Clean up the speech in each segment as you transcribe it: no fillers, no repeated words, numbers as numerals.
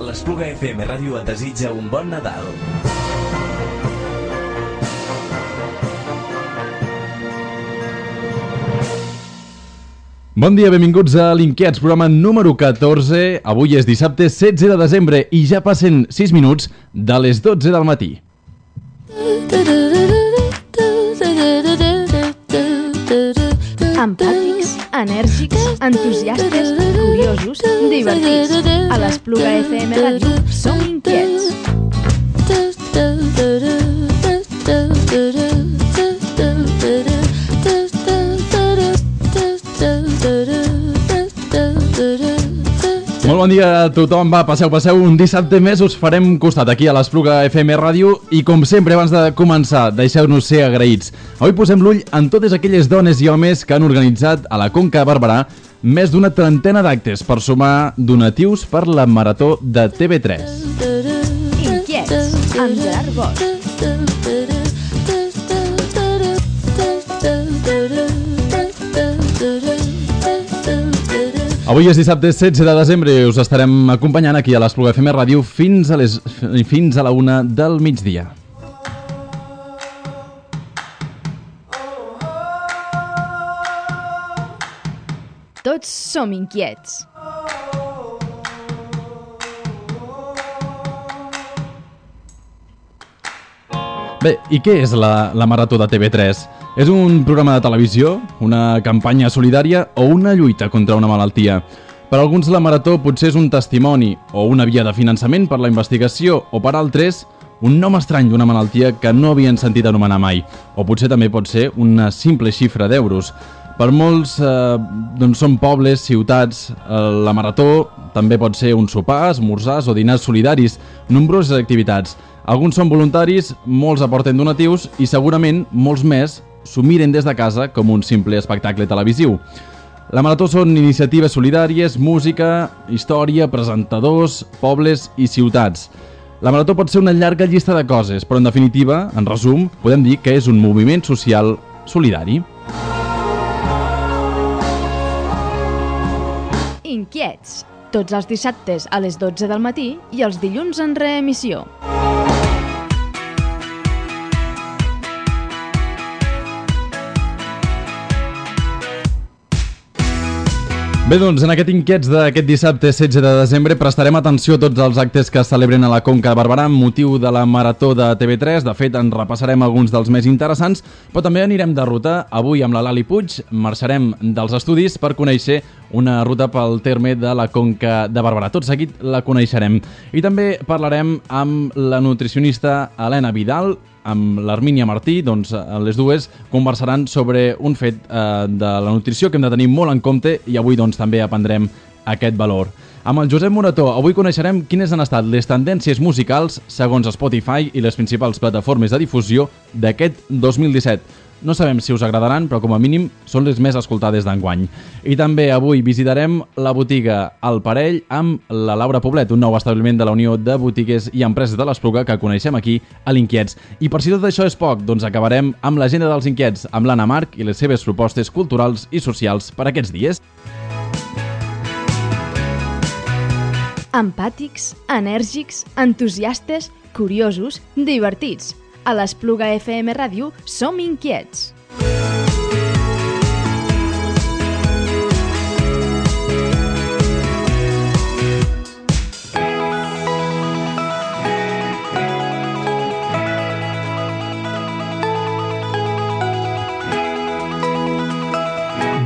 L'Espluga FM Ràdio et desitja un bon Nadal. Bon dia, benvinguts a l'Inquiets, programa número 14. Avui és dissabte 16 de desembre i ja passen 6 minuts de les 12 del matí. Empàtics, enèrgics, entusiastes, curiosos, divertits. A l'Espluga FM Ràdio som inquiets. Molt bon dia a tothom, va, passeu, un dissabte més us farem costat aquí a l'Espluga FM Ràdio i com sempre abans de començar deixeu-nos ser agraïts. Avui posem l'ull en totes aquelles dones i homes que han organitzat a la Conca de Barberà més d'una trentena d'actes per sumar donatius per la Marató de TV3. Inquiets, amb Gerard Bosch. Avui és dissabte 16 de desembre i us estarem acompanyant aquí a l'Espluga FM Ràdio fins a la 1 del migdia. Tots som inquiets. Bé, i què és la Marató de TV3? És un programa de televisió, una campanya solidària o una lluita contra una malaltia? Per alguns la Marató potser és un testimoni o una via de finançament per la investigació o per altres un nom estrany d'una malaltia que no havien sentit anomenar mai o potser també pot ser una simple xifra d'euros. Per molts són pobles, ciutats, la Marató també pot ser un sopar, esmorzars o dinars solidaris, nombroses activitats. Alguns són voluntaris, molts aporten donatius i segurament molts més s'ho miren des de casa com un simple espectacle televisiu. La Marató són iniciatives solidàries, música, història, presentadors, pobles i ciutats. La Marató pot ser una llarga llista de coses, però en definitiva, en resum, podem dir que és un moviment social solidari. Inquiets, tots els dissabtes a les 12 del matí i els dilluns en reemissió. Bé, doncs, en aquest Inquiets d'aquest dissabte 16 de desembre prestarem atenció a tots els actes que es celebren a la Conca de Barberà amb motiu de la Marató de TV3. De fet, en repassarem alguns dels més interessants, però també anirem de ruta. Avui amb la Lali Puig marxarem dels estudis per conèixer una ruta pel terme de la Conca de Barberà. Tot seguit la coneixerem. I també parlarem amb la nutricionista Helena Vidal, amb l'Armínia Martí, doncs les dues conversaran sobre un fet de la nutrició que hem de tenir molt en compte i avui doncs també aprendrem aquest valor. Amb el Josep Morató avui coneixerem quines han estat les tendències musicals segons Spotify i les principals plataformes de difusió d'aquest 2017. No sabem si us agradaran, però com a mínim són les més escoltades d'enguany. I també avui visitarem la botiga El Parell amb la Laura Poblet, un nou establiment de la Unió de Botigues i Empreses de l'Espluga que coneixem aquí a l'Inquiets. I per si tot això és poc, doncs acabarem amb l'agenda dels Inquiets, amb l'Anna Marc i les seves propostes culturals i socials per aquests dies. Empàtics, enèrgics, entusiastes, curiosos, divertits. A l'Espluga FM Ràdio som inquiets.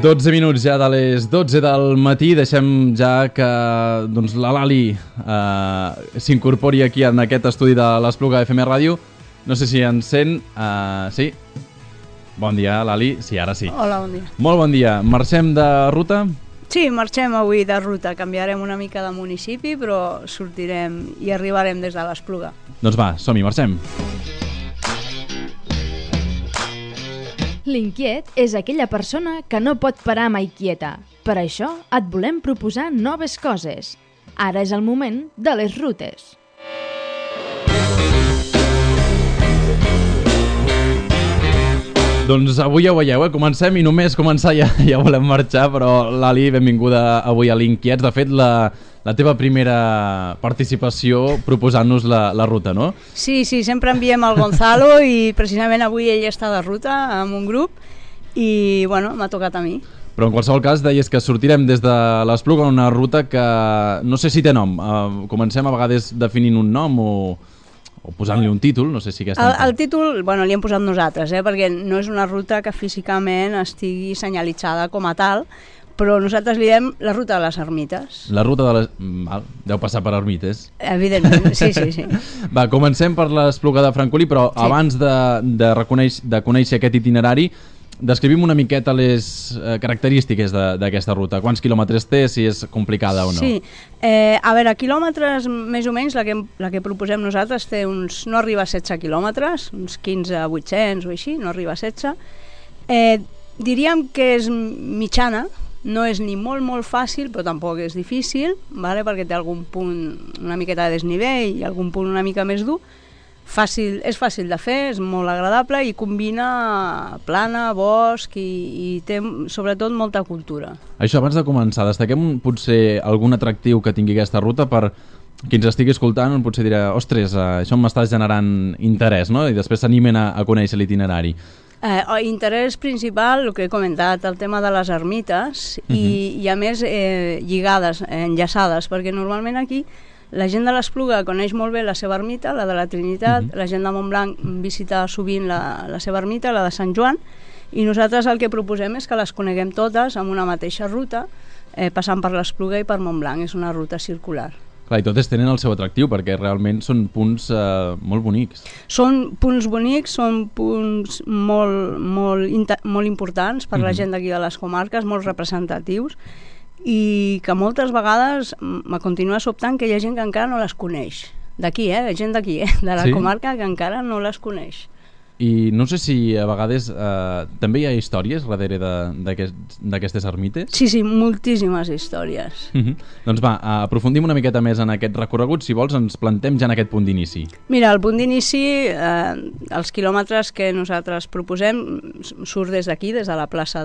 Dotze minuts ja de les 12 del matí. Deixem ja que doncs, la Lali s'incorpori aquí en aquest estudi de l'Espluga FM Ràdio. No sé si ens sent. Sí? Bon dia, Lali. Sí, ara sí. Hola, bon dia. Molt bon dia. Marxem de ruta? Sí, marxem avui de ruta. Canviarem una mica de municipi, però sortirem i arribarem des de l'Espluga. Doncs va, som-hi, marxem. L'inquiet és aquella persona que no pot parar mai quieta. Per això et volem proposar noves coses. Ara és el moment de les rutes. Doncs avui ja ho veieu, comencem i només començar ja volem marxar, però Lali, benvinguda avui a l'Inquiets. De fet, la teva primera participació proposant-nos la ruta, no? Sí, sempre enviem el Gonzalo i precisament avui ell està de ruta amb un grup i, bueno, m'ha tocat a mi. Però en qualsevol cas deies que sortirem des de l'Espluga en una ruta que no sé si té nom. Comencem a vegades definint un nom o posant-li un títol, no sé si aquesta... El títol, bueno, li hem posat nosaltres, perquè no és una ruta que físicament estigui senyalitzada com a tal, però nosaltres li diem la ruta de les ermites. La ruta de les... Deu passar per ermites. Evidentment, sí. Va, comencem per l'Espluga de Francolí, però sí. Abans de conèixer aquest itinerari, descrivim una miqueta les característiques d'aquesta ruta. Quants quilòmetres té, si és complicada o no? Sí, a veure, quilòmetres més o menys, la que proposem nosaltres té uns... no arriba a 16 quilòmetres, uns 15-800 o així, no arriba a 16. Diríem que és mitjana, no és ni molt fàcil, però tampoc és difícil, vale? Perquè té algun punt una miqueta de desnivell i algun punt una mica més dur. És fàcil de fer, és molt agradable i combina plana, bosc i té sobretot molta cultura. Això, abans de començar, destaquem potser algun atractiu que tingui aquesta ruta per qui ens estigui escoltant, potser dirà, ostres, això m'està generant interès, no? I després s'animen a conèixer l'itinerari. Interès principal, el que he comentat, el tema de les ermites i a més lligades, enllaçades, perquè normalment aquí la gent de l'Espluga coneix molt bé la seva ermita, la de la Trinitat, la gent de Montblanc visita sovint la seva ermita, la de Sant Joan, i nosaltres el que proposem és que les coneguem totes amb una mateixa ruta, passant per l'Espluga i per Montblanc. És una ruta circular. Clar, i totes tenen el seu atractiu, perquè realment són punts molt bonics. Són punts bonics, són punts molt importants per la gent d'aquí de les comarques, molt representatius, i que moltes vegades me continua sobtant que hi ha gent que encara no les coneix. D'aquí, gent d'aquí, de la comarca que encara no les coneix. I no sé si a vegades també hi ha històries darrere d'aquestes ermites? Sí, moltíssimes històries. Doncs va, aprofundim una miqueta més en aquest recorregut. Si vols, ens plantem ja en aquest punt d'inici. Mira, el punt d'inici, els quilòmetres que nosaltres proposem, surt des d'aquí, des de la plaça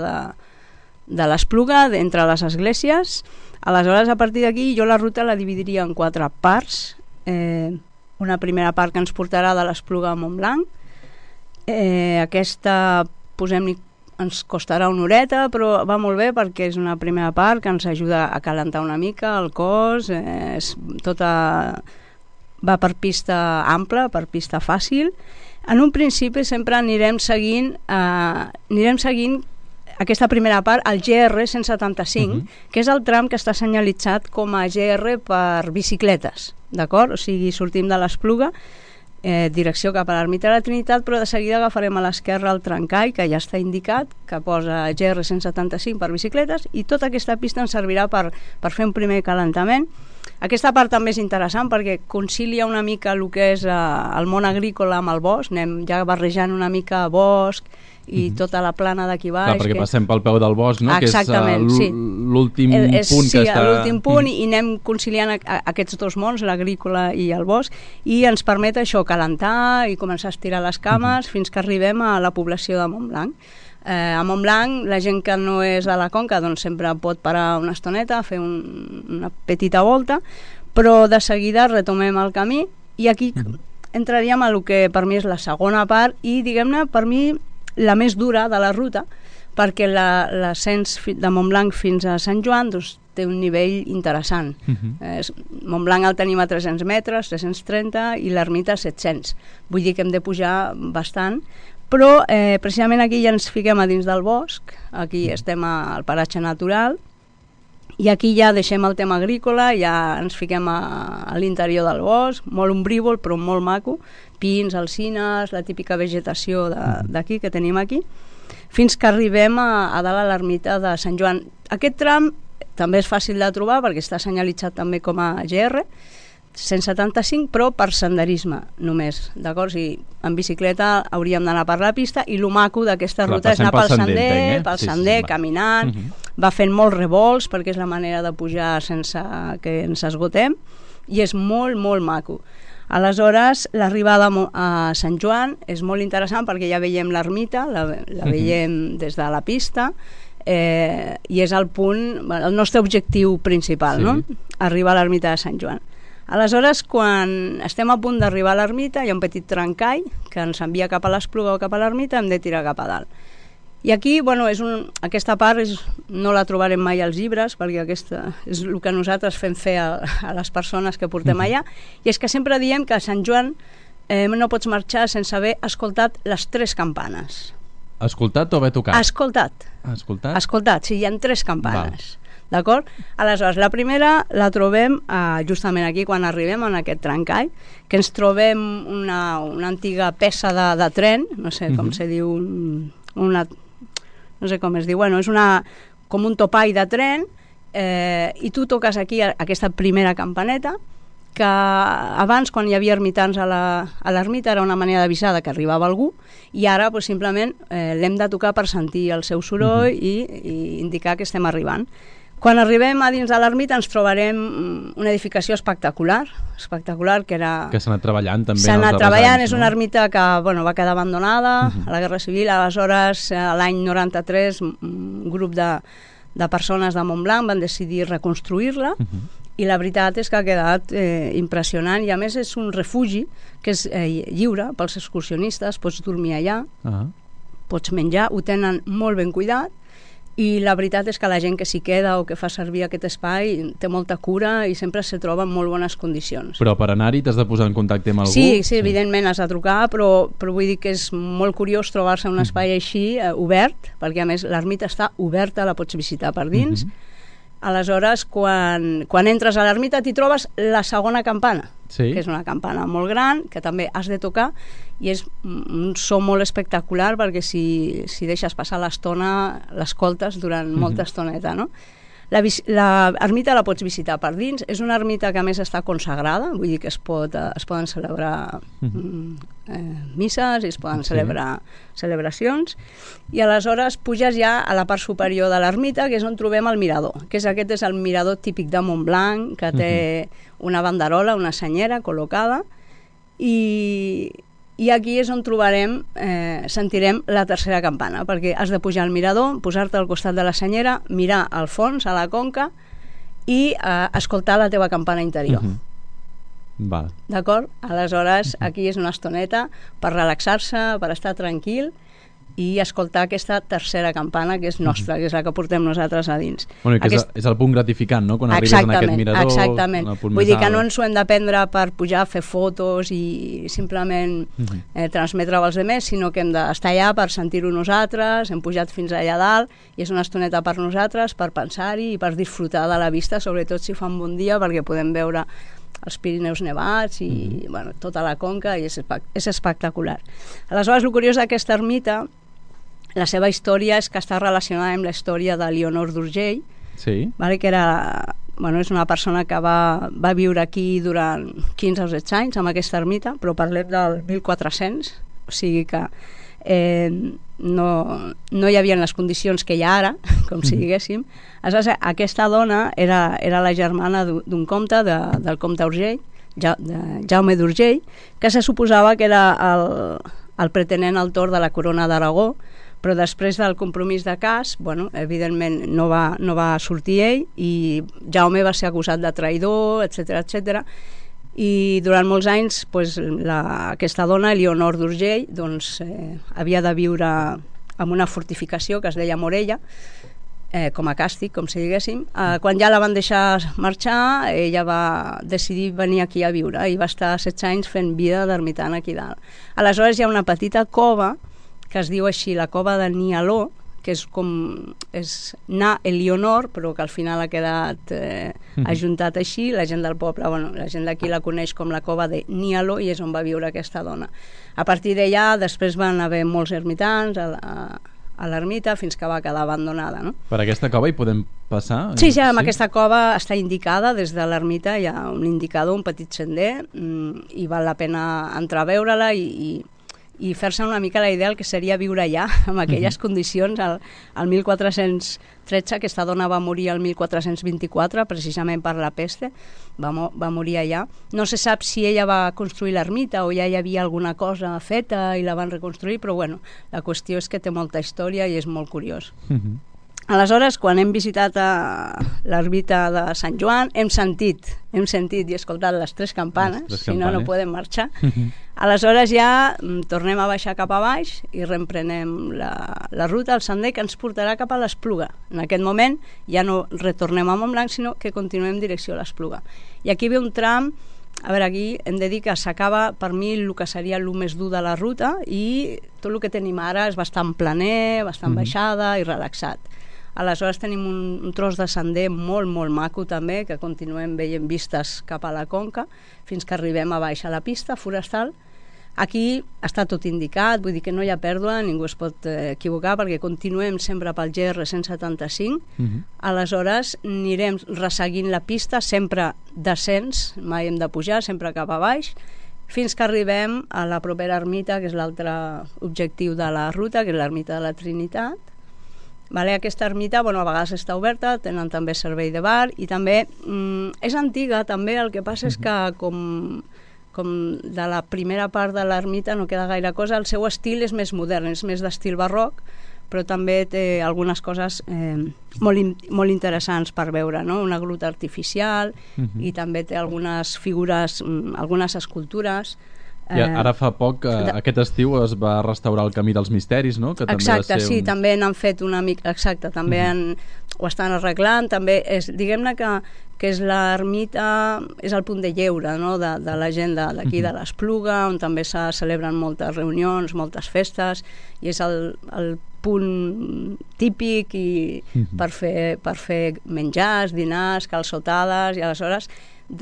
de l'Espluga, entre les esglésies. Aleshores, a partir d'aquí, jo la ruta la dividiria en 4 parts. Una primera part que ens portarà de l'Espluga a Montblanc. Aquesta, posem-li, ens costarà una horeta, però va molt bé perquè és una primera part que ens ajuda a calentar una mica el cos, va per pista ampla, per pista fàcil. En un principi sempre anirem seguint aquesta primera part, el GR 175, que és el tram que està senyalitzat com a GR per bicicletes, d'acord? O sigui, sortim de l'Espluga, direcció cap a l'Ermita de la Trinitat, però de seguida agafarem a l'esquerra el trencall, que ja està indicat, que posa GR 175 per bicicletes, i tota aquesta pista ens servirà per fer un primer calentament. Aquesta part també és interessant perquè concilia una mica el que és el món agrícola amb el bosc, anem ja barrejant una mica bosc i tota la plana d'aquí baix. Clar, perquè passem pel peu del bosc, no? Exactament, que és l'últim punt que està... Sí, l'últim punt, i anem conciliant aquests dos mons, l'agrícola i el bosc, i ens permet això, calentar i començar a estirar les cames fins que arribem a la població de Montblanc. A Montblanc, la gent que no és a la Conca doncs sempre pot parar una estoneta, fer una petita volta, però de seguida retomem el camí i aquí entraríem a lo que per mi és la segona part i, diguem-ne, per mi la més dura de la ruta, perquè l'ascens de Montblanc fins a Sant Joan doncs, té un nivell interessant. Montblanc el tenim a 300 metres, 330, i l'ermita a 700. Vull dir que hem de pujar bastant, però precisament aquí ja ens fiquem a dins del bosc, aquí estem al paratge natural, i aquí ja deixem el tema agrícola, ja ens fiquem a l'interior del bosc, molt ombrívol però molt maco, pins, alzines, la típica vegetació d'aquí que tenim aquí, fins que arribem a dalt a l'ermita de Sant Joan. Aquest tram també és fàcil de trobar perquè està senyalitzat també com a GR 175, però per senderisme només, d'acord? O sigui, en bicicleta hauríem d'anar per la pista i lo maco d'aquesta ruta és anar pel sender, caminant, va fent molts revolts perquè és la manera de pujar sense que ens esgotem i és molt, molt maco. Aleshores, l'arribada a Sant Joan és molt interessant perquè ja veiem l'ermita, la veiem des de la pista, i és el punt, el nostre objectiu principal, no? Arribar a l'ermita de Sant Joan. Aleshores, quan estem a punt d'arribar a l'ermita, hi ha un petit trencall que ens envia cap a l'Espluga o cap a l'ermita, hem de tirar cap a dalt. I aquí, aquesta part no la trobarem mai als llibres, perquè aquesta és el que nosaltres fem fer a les persones que portem allà, i és que sempre diem que a Sant Joan no pots marxar sense haver escoltat les 3 campanes. Escoltat o haver tocat? Escoltat. Escoltat, sí, hi ha 3 campanes. D'acord? Aleshores, la primera la trobem justament aquí quan arribem en aquest trencall, que ens trobem una antiga peça de tren, no sé com se diu, no sé com es diu, és com un topall de tren, i tu toques aquí aquesta primera campaneta, que abans, quan hi havia ermitans a l'ermita, era una manera d'avisar que arribava algú, i ara simplement l'hem de tocar per sentir el seu soroll i indicar que estem arribant. Quan arribem a dins de l'ermita ens trobarem una edificació espectacular, que s'ha anat treballant també. S'ha anat treballant, és una ermita que va quedar abandonada a la Guerra Civil. Aleshores, l'any 93, un grup de persones de Montblanc van decidir reconstruir-la, i la veritat és que ha quedat impressionant, i a més és un refugi que és lliure pels excursionistes, pots dormir allà, pots menjar, ho tenen molt ben cuidat, i la veritat és que la gent que s'hi queda o que fa servir aquest espai té molta cura i sempre se troba en molt bones condicions. Però per anar-hi t'has de posar en contacte amb algú? Sí, evidentment has de trucar, però vull dir que és molt curiós trobar-se en un espai així obert, perquè a més l'ermita està oberta, la pots visitar per dins. Aleshores, quan entres a l'ermita t'hi trobes la segona campana, que és una campana molt gran, que també has de tocar, i és un so molt espectacular perquè si deixes passar l'estona l'escoltes durant molta estoneta, no? L'ermita la pots visitar per dins, és una ermita que a més està consagrada, vull dir que es poden celebrar misses i es poden celebrar celebracions, i aleshores puges ja a la part superior de l'ermita, que és on trobem el mirador, aquest és el mirador típic de Montblanc, que té una banderola, una senyera col·locada, i aquí és on sentirem la tercera campana, perquè has de pujar al mirador, posar-te al costat de la senyera, mirar al fons, a la conca, i escoltar la teva campana interior. D'acord? Aleshores, aquí és una estoneta per relaxar-se, per estar tranquil, i escoltar aquesta tercera campana, que és nostra, que és la que portem nosaltres a dins. És el punt gratificant, no?, quan arribes en aquest mirador. Exactament. Vull dir que no ens ho hem de prendre per pujar, fer fotos i simplement transmetre-ho als altres, sinó que hem d'estar allà per sentir-ho nosaltres, hem pujat fins allà dalt, i és una estoneta per nosaltres, per pensar-hi i per disfrutar de la vista, sobretot si fa un bon dia, perquè podem veure els Pirineus nevats i tota la conca, i és espectacular. Aleshores, el curiós d'aquesta ermita, la seva història és que està relacionada amb la història de Elionor d'Urgell, que és una persona que va viure aquí durant 15 o 16 anys, amb aquesta ermita, però parlem del 1400, o sigui que no hi havia les condicions que hi ha ara, com si diguéssim. Aleshores, aquesta dona era la germana d'un comte, del comte Urgell, Jaume d'Urgell, que se suposava que era el pretenent al tron de la corona d'Aragó, però després del compromís de cas, evidentment no va sortir ell, i Jaume va ser acusat de traïdor, etc. I durant molts anys aquesta dona, Elionor d'Urgell, havia de viure en una fortificació que es deia Morella, com a càstig, com si diguéssim. Quan ja la van deixar marxar, ella va decidir venir aquí a viure i va estar 16 anys fent vida d'ermitana aquí dalt. Aleshores hi ha una petita cova que es diu així, la cova de Nialó, que és Na Elionor, però que al final ha quedat ajuntat així. La gent del poble, la gent d'aquí la coneix com la cova de Nialó, i és on va viure aquesta dona. A partir d'allà, després van haver molts ermitans a l'ermita, fins que va quedar abandonada, no? Per aquesta cova hi podem passar? Sí, amb aquesta cova està indicada des de l'ermita, hi ha un indicador, un petit sender, i val la pena entrar a veure-la i fer-se una mica la idea del que seria viure allà, en aquelles condicions. El 1413, aquesta dona va morir el 1424, precisament per la peste, va morir allà. No se sap si ella va construir l'ermita o ja hi havia alguna cosa feta i la van reconstruir, però la qüestió és que té molta història i és molt curiós. Aleshores, quan hem visitat l'ermita de Sant Joan, hem sentit i escoltat les 3 campanes, si no, no podem marxar. Aleshores ja tornem a baixar cap a baix i reemprenem la ruta, el sender que ens portarà cap a l'Espluga. En aquest moment ja no retornem a Montblanc, sinó que continuem en direcció a l'Espluga. I aquí ve un tram. A veure, aquí hem de dir que s'acaba, per mi, el que seria el més dur de la ruta, i tot el que tenim ara és bastant planer, bastant baixada i relaxat. Aleshores tenim un tros de sender molt, molt maco també, que continuem veient vistes cap a la Conca, fins que arribem a baix a la pista forestal. Aquí està tot indicat, vull dir que no hi ha pèrdua, ningú es pot equivocar, perquè continuem sempre pel GR 175. Aleshores anirem resseguint la pista, sempre descens, mai hem de pujar, sempre cap a baix, fins que arribem a la propera ermita, que és l'altre objectiu de la ruta, que és l'ermita de la Trinitat. Aquesta ermita, a vegades està oberta, tenen també servei de bar, i també és antiga, també. El que passa és que com de la primera part de l'ermita no queda gaire cosa, el seu estil és més modern, és més d'estil barroc, però també té algunes coses molt interessants per veure, no? Una gruta artificial, i també té algunes figures, algunes escultures. I ara fa poc, aquest estiu, es va restaurar el Camí dels Misteris, no? Que també exacte, sí, també n'han fet una mica. Exacte, també ho estan arreglant. També diguem-ne que és l'ermita, és el punt de lleure, no? de la gent d'aquí de l'Espluga, on també se celebren moltes reunions, moltes festes, i és el punt típic per fer menjars, dinars, calçotades, i aleshores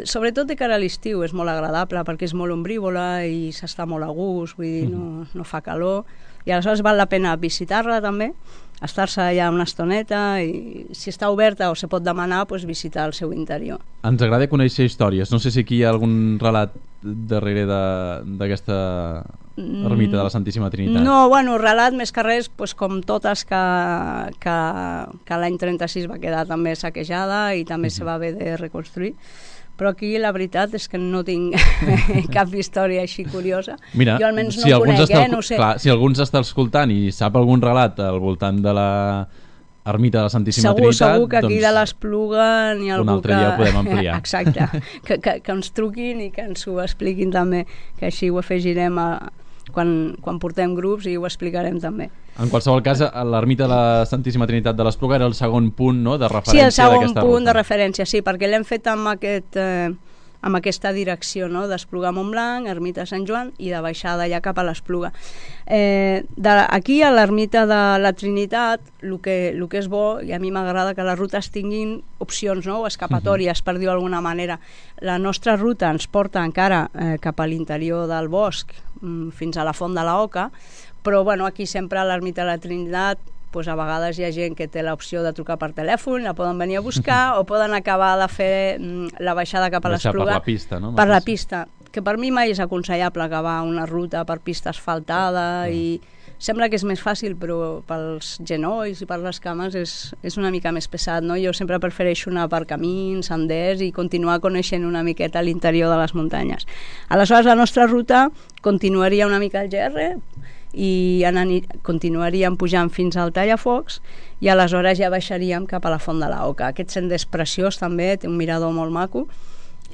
sobretot de cara a l'estiu és molt agradable perquè és molt ombrívola i s'està molt a gust, vull dir, no fa calor, i aleshores val la pena visitar-la també, estar-se allà una estoneta, i si està oberta o se pot demanar, doncs visitar el seu interior. Ens agrada conèixer històries, no sé si aquí hi ha algun relat darrere d'aquesta ermita de la Santíssima Trinitat. No, relat més que res, doncs, com totes que l'any 36 va quedar també saquejada i també se va haver de reconstruir. Però aquí la veritat és que no tinc cap història així curiosa. Mira, jo almenys no ho conec, no ho sé. Clar, si algú ens està escoltant i sap algun relat al voltant de la ermita de la Santíssima Trinitat... Segur que aquí de l'Espluga n'hi ha algú que... Un altre dia ho podem ampliar. Exacte, que ens truquin i que ens ho expliquin també, que així ho afegirem quan portem grups i ho explicarem també. En qualsevol cas, l'ermita de la Santíssima Trinitat de l'Espluga era el segon punt, no?, de referència. Sí, el segon punt de referència, sí, perquè l'hem fet amb aquesta direcció, no?, d'Espluga a Montblanc, ermita de Sant Joan, i de baixada ja cap a l'Espluga. Aquí a l'ermita de la Trinitat, el que és bo, i a mi m'agrada que les rutes tinguin opcions, no?, o escapatòries, per dir-ho d'alguna manera. La nostra ruta ens porta encara cap a l'interior del bosc, fins a la Font de l'Oca, però aquí sempre a l'ermita de la Trinitat a vegades hi ha gent que té l'opció de trucar per telèfon, la poden venir a buscar o poden acabar de fer la baixada cap a l'Espluga. Per la pista, no? Per la pista, que per mi mai és aconsellable acabar una ruta per pista asfaltada i sembla que és més fàcil, però pels genolls i per les cames és una mica més pesat, no? Jo sempre prefereixo anar per camins, senders i continuar coneixent una miqueta l'interior de les muntanyes. Aleshores, la nostra ruta continuaria una mica al GR i continuaríem pujant fins al Tallafocs i aleshores ja baixaríem cap a la Font de l'Oca. Aquest sender és preciós també, té un mirador molt maco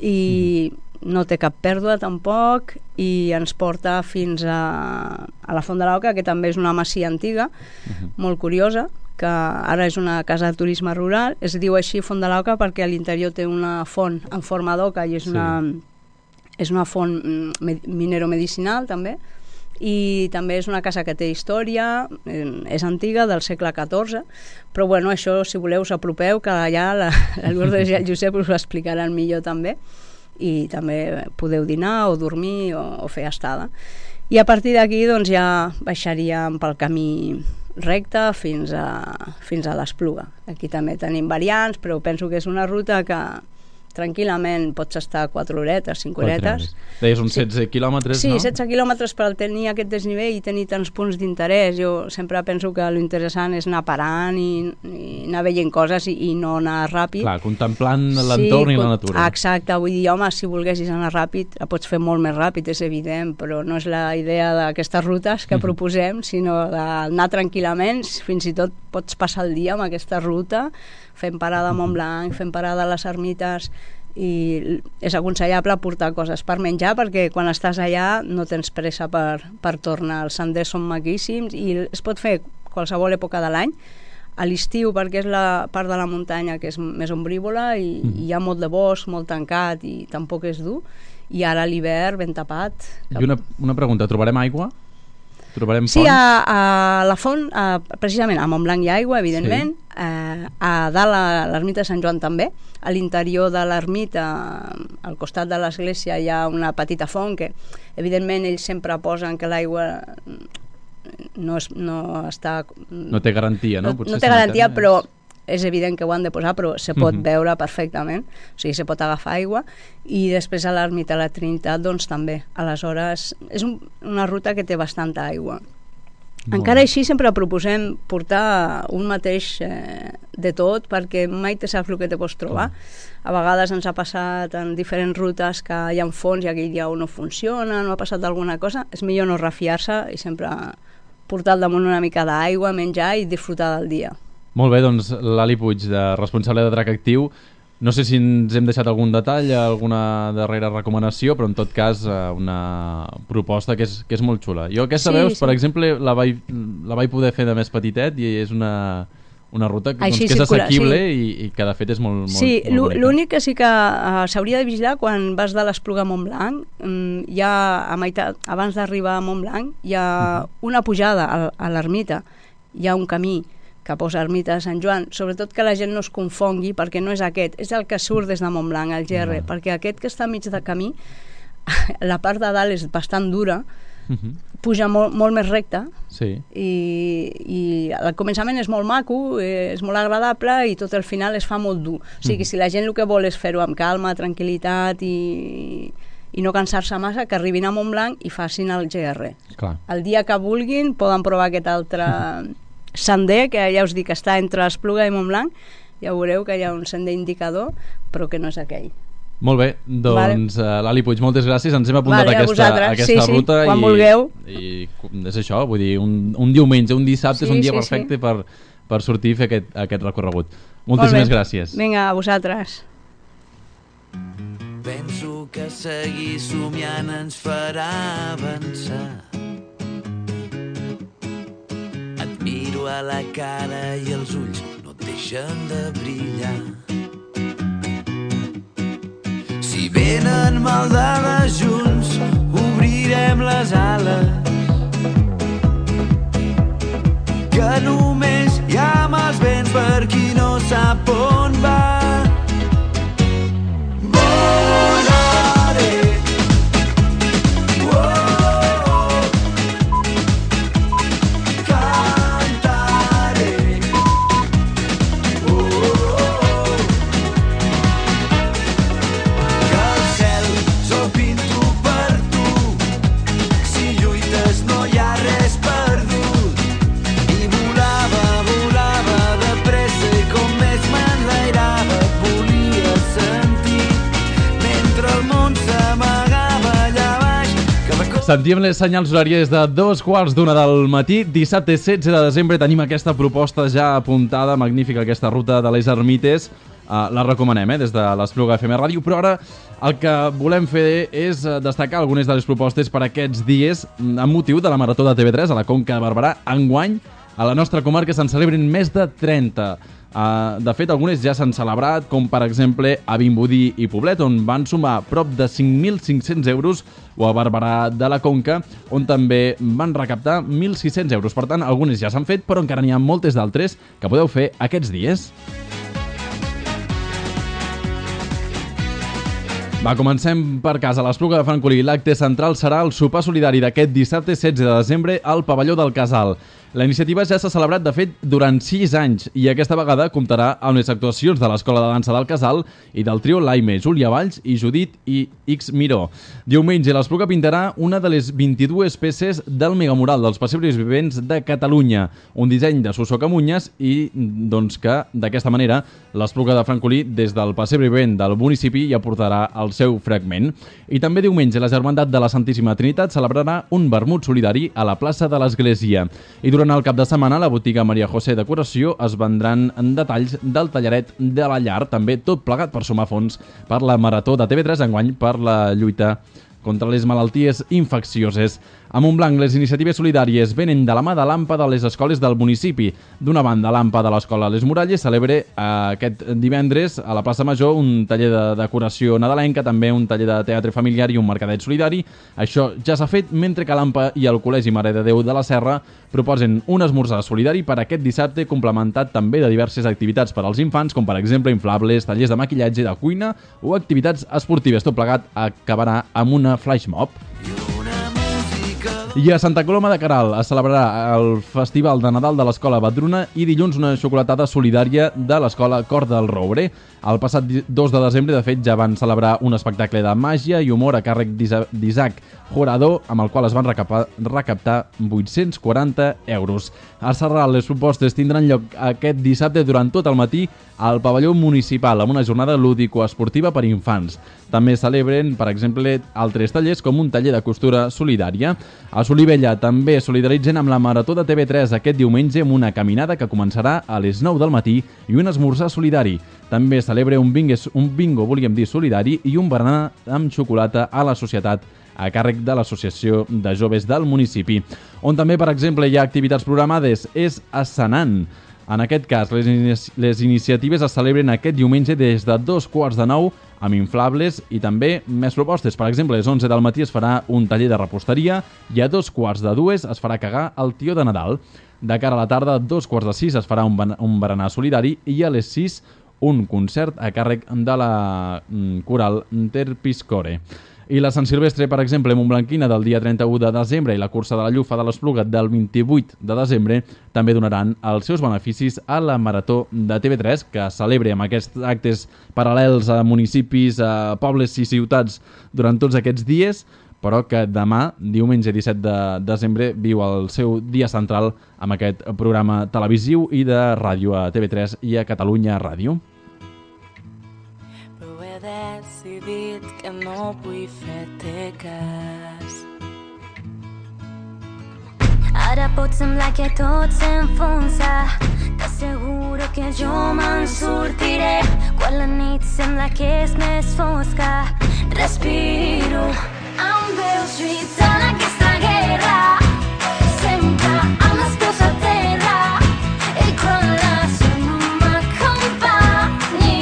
i no té cap pèrdua tampoc i ens porta fins a la Font de l'Oca, que també és una masia antiga, molt curiosa, que ara és una casa de turisme rural. Es diu així Font de l'Oca perquè a l'interior té una font en forma d'oca i és una font mineromedicinal també, i també és una casa que té història, és antiga, del segle XIV, però això, si voleu, us apropeu, que allà la Lourdes i el Josep us ho explicaran millor també, i també podeu dinar o dormir o fer estada. I a partir d'aquí ja baixaríem pel camí recte fins a l'Espluga. Aquí també tenim variants, però penso que és una ruta que tranquil·lament pots estar 4 horetes, 5 horetes. Deies uns 16 quilòmetres, sí, no? Sí, 16 quilòmetres per tenir aquest desnivell i tenir tants punts d'interès. Jo sempre penso que l'interessant és anar parant i anar veient coses i no anar ràpid. Clar, contemplant l'entorn i la natura. Exacte, vull dir, home, si volguessis anar ràpid, la pots fer molt més ràpid, és evident, però no és la idea d'aquestes rutes que proposem, sinó d'anar tranquil·lament, fins i tot pots passar el dia amb aquesta ruta, fent parada a Montblanc, fent parada a les ermites, i és aconsellable portar coses per menjar perquè quan estàs allà no tens pressa per tornar. Els senders són maquíssims i es pot fer qualsevol època de l'any. A l'estiu, perquè és la part de la muntanya que és més ombrívola i hi ha molt de bosc, molt tancat i tampoc és dur, i ara a l'hivern ben tapat. I una pregunta, trobarem aigua? Trobarem fonts? Sí, a la font, precisament a Montblanc hi ha aigua, evidentment, a dalt a l'ermita de Sant Joan també, a l'interior de l'ermita, al costat de l'església hi ha una petita font que evidentment ells sempre posen que l'aigua no té garantia, no? No té garantia, però és evident que ho han de posar, però se pot veure perfectament, o sigui, se pot agafar aigua, i després a l'ermita de la Trinitat, doncs també. Aleshores, és una ruta que té bastanta aigua. Encara així sempre proposem portar un mateix de tot, perquè mai te saps el que te pots trobar. A vegades ens ha passat en diferents rutes que hi ha fons i aquell dia no funciona, no ha passat alguna cosa, és millor no refiar-se i sempre portar al damunt una mica d'aigua, menjar i disfrutar del dia. Molt bé, doncs l'Ali Puig, responsable de Drac Actiu. No sé si ens hem deixat algun detall, alguna darrera recomanació, però en tot cas una proposta que és molt xula. Jo aquesta veus, per exemple, la vaig poder fer de més petitet i és una ruta que és assequible i que de fet és molt bonica. Sí, l'únic que sí que s'hauria de vigilar quan vas de l'Espluga a Montblanc, hi ha a meitat, abans d'arribar a Montblanc, hi ha una pujada a l'ermita, hi ha un camí que posa ermita de Sant Joan, sobretot que la gent no es confongui, perquè no és aquest, és el que surt des de Montblanc, el GR, perquè aquest que està mig de camí, la part de dalt és bastant dura, puja molt més recta, i al començament és molt maco, és molt agradable, i tot el final es fa molt dur. O sigui, si la gent el que vol és fer-ho amb calma, tranquil·litat i no cansar-se massa, que arribin a Montblanc i facin el GR. El dia que vulguin poden provar aquest altre sender, que ja us dic que està entre Espluga i Montblanc, ja veureu que hi ha un sender indicador, però que no és aquell. Molt bé, doncs l'Ali Puig, moltes gràcies, ens hem apuntat aquesta ruta quan vulgueu. I és això, vull dir, un diumenge, un dissabte és un dia perfecte per sortir i fer aquest recorregut. Moltíssimes gràcies. Vinga, a vosaltres. Penso que seguir somiant ens farà avançar. Miro a la cara i els ulls no et deixen de brillar. Si venen maldades junts, obrirem les ales, que només hi ha mals vents per qui no sap on va. Sentíem les senyals horàries de 2:15 del matí. Dissabte 16 de desembre tenim aquesta proposta ja apuntada, magnífica aquesta ruta de les Ermites. La recomanem des de l'Espluga FM Ràdio, però ara el que volem fer és destacar algunes de les propostes per aquests dies amb motiu de la Marató de TV3 a la Conca de Barberà. Enguany, a la nostra comarca se'n celebren més de 30. De fet, algunes ja s'han celebrat, com per exemple a Vimbodí i Poblet, on van sumar prop de 5.500 euros, o a Barberà de la Conca, on també van recaptar 1.600 euros. Per tant, algunes ja s'han fet, però encara n'hi ha moltes d'altres que podeu fer aquests dies. Comencem per casa. A l'Espluga de Francolí, l'acte central serà el sopar solidari d'aquest dissabte 16 de desembre al pavelló del Casal. La iniciativa ja s'ha celebrat, de fet, durant 6 anys i aquesta vegada comptarà amb les actuacions de l'Escola de Dansa del Casal i del trio Laime, Júlia Valls i Judit i X Miró. Diumenge l'Espluga pintarà una de les 22 peces del megamural dels pessebres vivents de Catalunya, un disseny de Suso Camunyes i doncs que d'aquesta manera l'Espluga de Francolí des del pessebre vivent del municipi hi aportarà el seu fragment. I també diumenge la Germandat de la Santíssima Trinitat celebrarà un vermut solidari a la plaça de l'Església. I durant el cap de setmana, a la botiga Maria José Decoració es vendran detalls del tallaret de la llar, també tot plegat per sumar fons per la Marató de TV3 enguany per la lluita contra les malalties infeccioses. A Montblanc, les iniciatives solidàries venen de la mà de l'AMPA de les escoles del municipi. D'una banda, l'AMPA de l'Escola Les Muralles celebra aquest divendres a la plaça Major un taller de decoració nadalenca, també un taller de teatre familiar i un mercadet solidari. Això ja s'ha fet, mentre que l'AMPA i el Col·legi Mare de Déu de la Serra proposen un esmorzar solidari per aquest dissabte, complementat també de diverses activitats per als infants, com per exemple inflables, tallers de maquillatge, de cuina o activitats esportives. Tot plegat acabarà amb una flash mob. I a Santa Coloma de Queralt es celebrarà el Festival de Nadal de l'Escola Badruna i dilluns una xocolatada solidària de l'Escola Cor del Roure. El passat 2 de desembre, de fet, ja van celebrar un espectacle de màgia i humor a càrrec d'Isaac Jurado, amb el qual es van recaptar 840 euros. A Sarral, les propostes tindran lloc aquest dissabte durant tot el matí al pavelló municipal, amb una jornada lúdico-esportiva per infants. També celebren, per exemple, altres tallers com un taller de costura solidària. A Solivella també solidaritzen amb la Marató de TV3 aquest diumenge amb una caminada que començarà a les 9 del matí i un esmorzar solidari. També celebra un bingo, volíem dir, solidari i un berenar amb xocolata a la societat a càrrec de l'Associació de Joves del municipi. On també, per exemple, hi ha activitats programades és a Senan. En aquest cas, les iniciatives es celebren aquest diumenge des de 8:45 amb inflables i també més propostes. Per exemple, a les 11 del matí es farà un taller de reposteria i a 2:45 es farà cagar el tió de Nadal. De cara a la tarda, a 5:45 es farà un berenar solidari i a les 6 un concert a càrrec de la coral Terpiscore. I la Sant Silvestre, per exemple, montblanquina del dia 31 de desembre i la cursa de la Llufa de l'Espluga del 28 de desembre també donaran els seus beneficis a la Marató de TV3, que celebra amb aquests actes paral·lels a municipis, a pobles i ciutats durant tots aquests dies, però que demà, diumenge 17 de desembre, viu el seu dia central amb aquest programa televisiu i de ràdio a TV3 i a Catalunya Ràdio. Decidit que no vull fer-te cas. Ara pot semblar que tot s'enfonsa, t'asseguro que jo me'n sortiré. Quan la nit sembla que és més fosca, respiro amb veus lluitant aquesta guerra, sempre amb els peus a terra. I quan la son no m'acompanyi,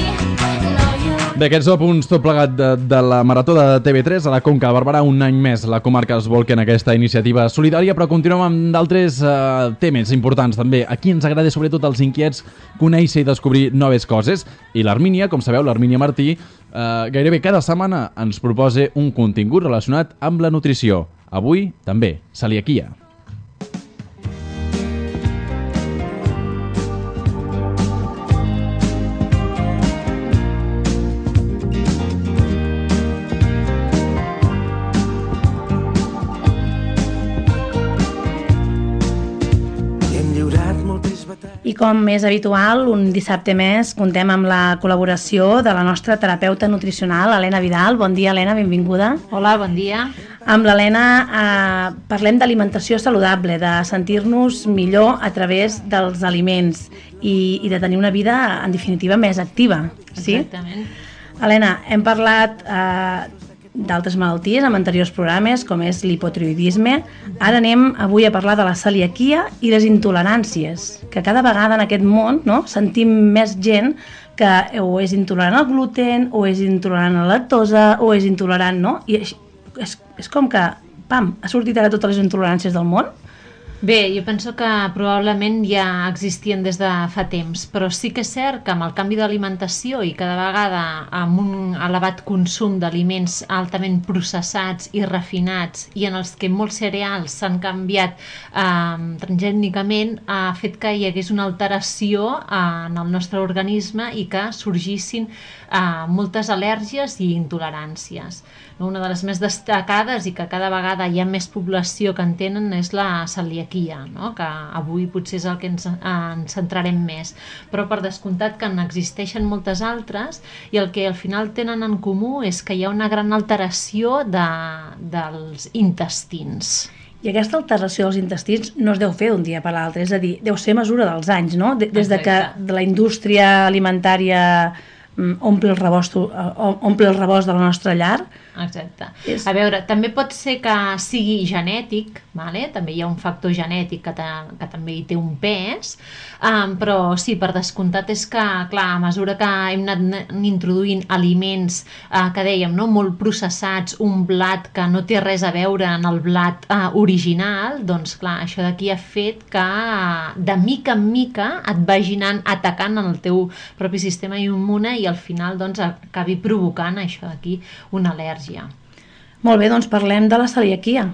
D'aquests apunts tot plegat de la Marató de TV3 a la Conca de Barberà, un any més la comarca es volca en aquesta iniciativa solidària, però continuem amb d'altres temes importants també. Aquí ens agrada sobretot als inquiets conèixer i descobrir noves coses, i l'Armínia, com sabeu, l'Armínia Martí, gairebé cada setmana ens proposa un contingut relacionat amb la nutrició. Avui també, celiaquia. I com és habitual, un dissabte més contem amb la col·laboració de la nostra terapeuta nutricional, Helena Vidal. Bon dia, Helena, benvinguda. Hola, bon dia. Amb l'Helena parlem d'alimentació saludable, de sentir-nos millor a través dels aliments i de tenir una vida, en definitiva, més activa. Sí? Exactament. Helena, hem parlat d'altres malalties en anteriors programes, com és l'hipotiroïdisme. Ara anem avui a parlar de la celiaquia i les intoleràncies, que cada vegada en aquest món, no, sentim més gent que o és intolerant al gluten, o és intolerant a la lactosa, o és intolerant, no? I és com que, pam, ha sortit ara totes les intoleràncies del món. Bé, jo penso que probablement ja existien des de fa temps, però sí que és cert que amb el canvi d'alimentació i cada vegada amb un elevat consum d'aliments altament processats i refinats i en els que molts cereals s'han canviat transgènicament, ha fet que hi hagués una alteració en el nostre organisme i que sorgissin moltes al·lèrgies i intoleràncies. Una de les més destacades i que cada vegada hi ha més població que en tenen és la celiaquia, no? Que avui potser és el que ens centrarem més, però per descomptat que n'existeixen moltes altres i el que al final tenen en comú és que hi ha una gran alteració dels intestins. I aquesta alteració dels intestins no es deu fer d'un dia per l'altre, és a dir, deu ser mesura dels anys, no? Des de que la indústria alimentària omple el rebost de la nostra llar. Exacte. A veure, també pot ser que sigui genètic, vale? També hi ha un factor genètic que també hi té un pes, però sí, per descomptat és que, clar, a mesura que hem anat introduint aliments que dèiem, no? Molt processats, un blat que no té res a veure en el blat original, doncs clar, això d'aquí ha fet que de mica en mica et vagi anant atacant en el teu propi sistema immune i al final doncs acabi provocant això d'aquí una al·lèrgia. Molt bé, doncs parlem de la celiaquia.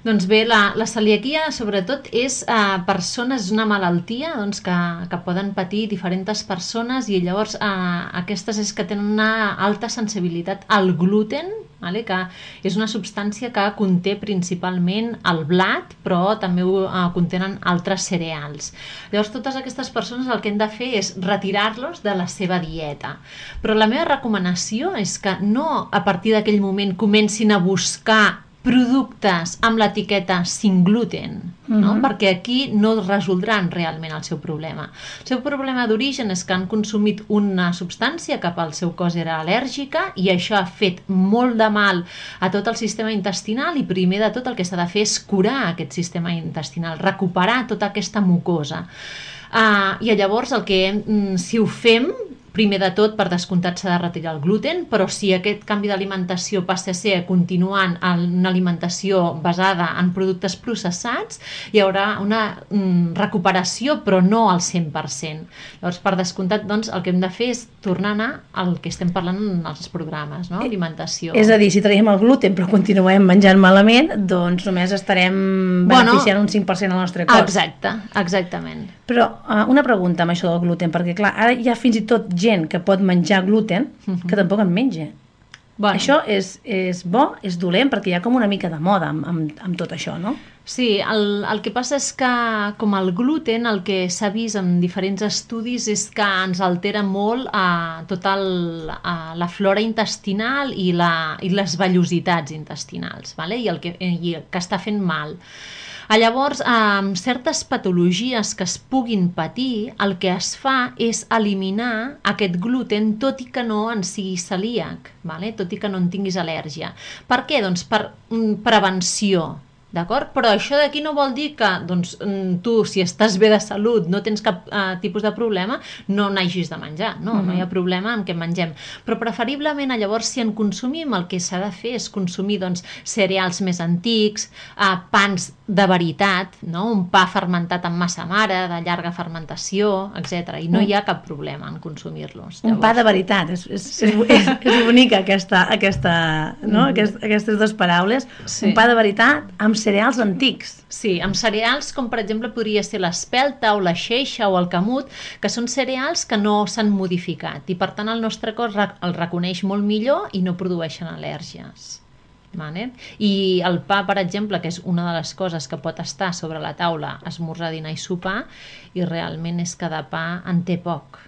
Doncs bé, la celiaquia sobretot és persones, és una malaltia doncs, que poden patir diferents persones i llavors aquestes és que tenen una alta sensibilitat al gluten, vale? Que és una substància que conté principalment el blat, però també contenen altres cereals. Llavors totes aquestes persones el que hem de fer és retirar-los de la seva dieta. Però la meva recomanació és que no a partir d'aquell moment comencin a buscar productes amb l'etiqueta sin gluten, no? Perquè aquí no resoldran realment el seu problema. El seu problema d'origen és que han consumit una substància que pel seu cos era al·lèrgica i això ha fet molt de mal a tot el sistema intestinal i primer de tot el que s'ha de fer és curar aquest sistema intestinal, recuperar tota aquesta mucosa. I llavors si ho fem, primer de tot, per descomptat s'ha de retirar el gluten, però si aquest canvi d'alimentació passa a ser continuant en una alimentació basada en productes processats, hi haurà una recuperació, però no al 100%. Llavors, per descomptat, doncs, el que hem de fer és tornar a anar al que estem parlant en els programes, no? Alimentació. És a dir, si traiem el gluten però continuem menjant malament, doncs només estarem beneficiant un 5% al nostre cos. Exacte, exactament. Però una pregunta amb això del gluten, perquè clar, ara hi ha fins i tot gent que pot menjar gluten que tampoc en menja. Bueno. Això és bo, és dolent, perquè hi ha com una mica de moda amb tot això, no? Sí, el que passa és que com el gluten, el que s'ha vist en diferents estudis és que ens altera molt tota la flora intestinal i les vellositats intestinals, vale? I que està fent mal. Llavors, amb certes patologies que es puguin patir, el que es fa és eliminar aquest gluten tot i que no en sigui celíac, vale? Tot i que no en tinguis al·lèrgia. Per què? Doncs per prevenció. D'acord? Però això d'aquí no vol dir que doncs, tu, si estàs bé de salut, no tens cap tipus de problema, no n'hagis de menjar. No hi ha problema en què mengem. Però preferiblement, llavors, si en consumim, el que s'ha de fer és consumir doncs, cereals més antics, pans de veritat, no? Un pa fermentat amb massa mare, de llarga fermentació, etc. I no hi ha cap problema en consumir-los. Un pa de veritat. És bonica aquestes dues paraules. Sí. Un pa de veritat amb cereals antics. Sí, amb cereals com per exemple podria ser l'espelta o la xeixa o el camut, que són cereals que no s'han modificat i per tant el nostre cos el reconeix molt millor i no produeixen al·lèrgies. Vale? I el pa, per exemple, que és una de les coses que pot estar sobre la taula, esmorzar, dinar i sopar, i realment és que de pa en té poc.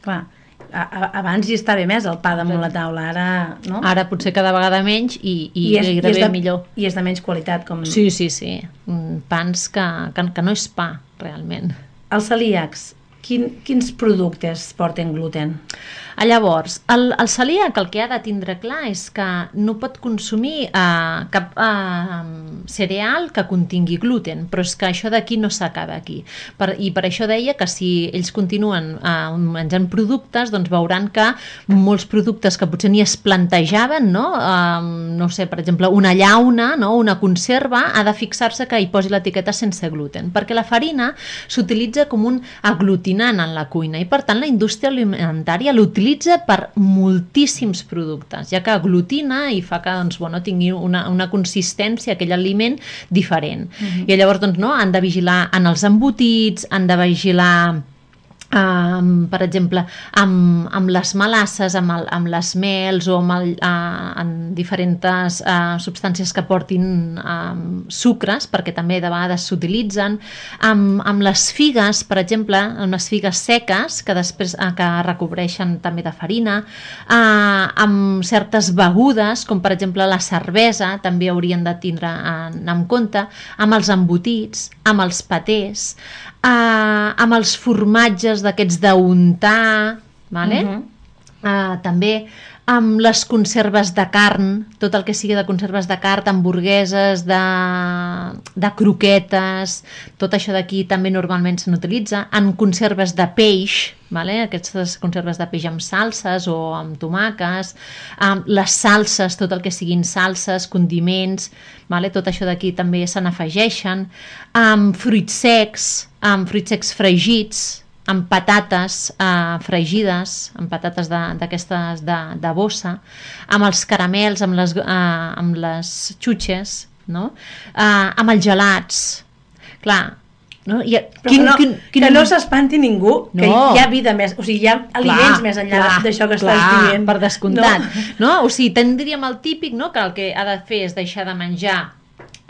Clar. Abans hi estava més el pa damunt la taula, ara no? Ara potser cada vegada menys i gairebé millor. I és de menys qualitat. Sí. Pans que no és pa, realment. Els celíacs, quins productes porten gluten? Llavors, el celíac el que ha de tindre clar és que no pot consumir cap cereal que contingui gluten, però és que això d'aquí no s'acaba aquí. I per això deia que si ells continuen menjant productes, doncs veuran que molts productes que potser ni es plantejaven, no sé, per exemple, una llauna, una conserva, ha de fixar-se que hi posi l'etiqueta sense gluten, perquè la farina s'utilitza com un aglutinant en la cuina i, per tant, la indústria alimentària l'utilitza per moltíssims productes, ja que aglutina i fa que tingui una consistència, aquell aliment, diferent. I llavors han de vigilar en els embotits, han de vigilar per exemple, amb les melasses, amb les mels o amb diferents substàncies que portin sucres, perquè també de vegades s'utilitzen, amb les figues, per exemple, amb les figues seques, que després que recobreixen també de farina, amb certes begudes, com per exemple la cervesa, també haurien de tindre en compte, amb els embotits, amb els patés, amb els formatges d'aquests d'untar, també amb les conserves de carn, tot el que sigui de conserves de carn, hamburgueses, de croquetes, tot això d'aquí també normalment se n'utilitza, en conserves de peix, aquestes conserves de peix amb salses o amb tomàquets, les salses, tot el que siguin salses, condiments, tot això d'aquí també se n'afegeixen, amb fruits secs fregits, amb patates fregides, amb patates d'aquestes de bossa, amb els caramels, amb les xutxes, amb els gelats. Clar, que no s'espanti ningú, que hi ha vida més, o sigui, hi ha aliments més enllà d'això que estàs dient. Per descomptat. O sigui, tindríem el típic que el que ha de fer és deixar de menjar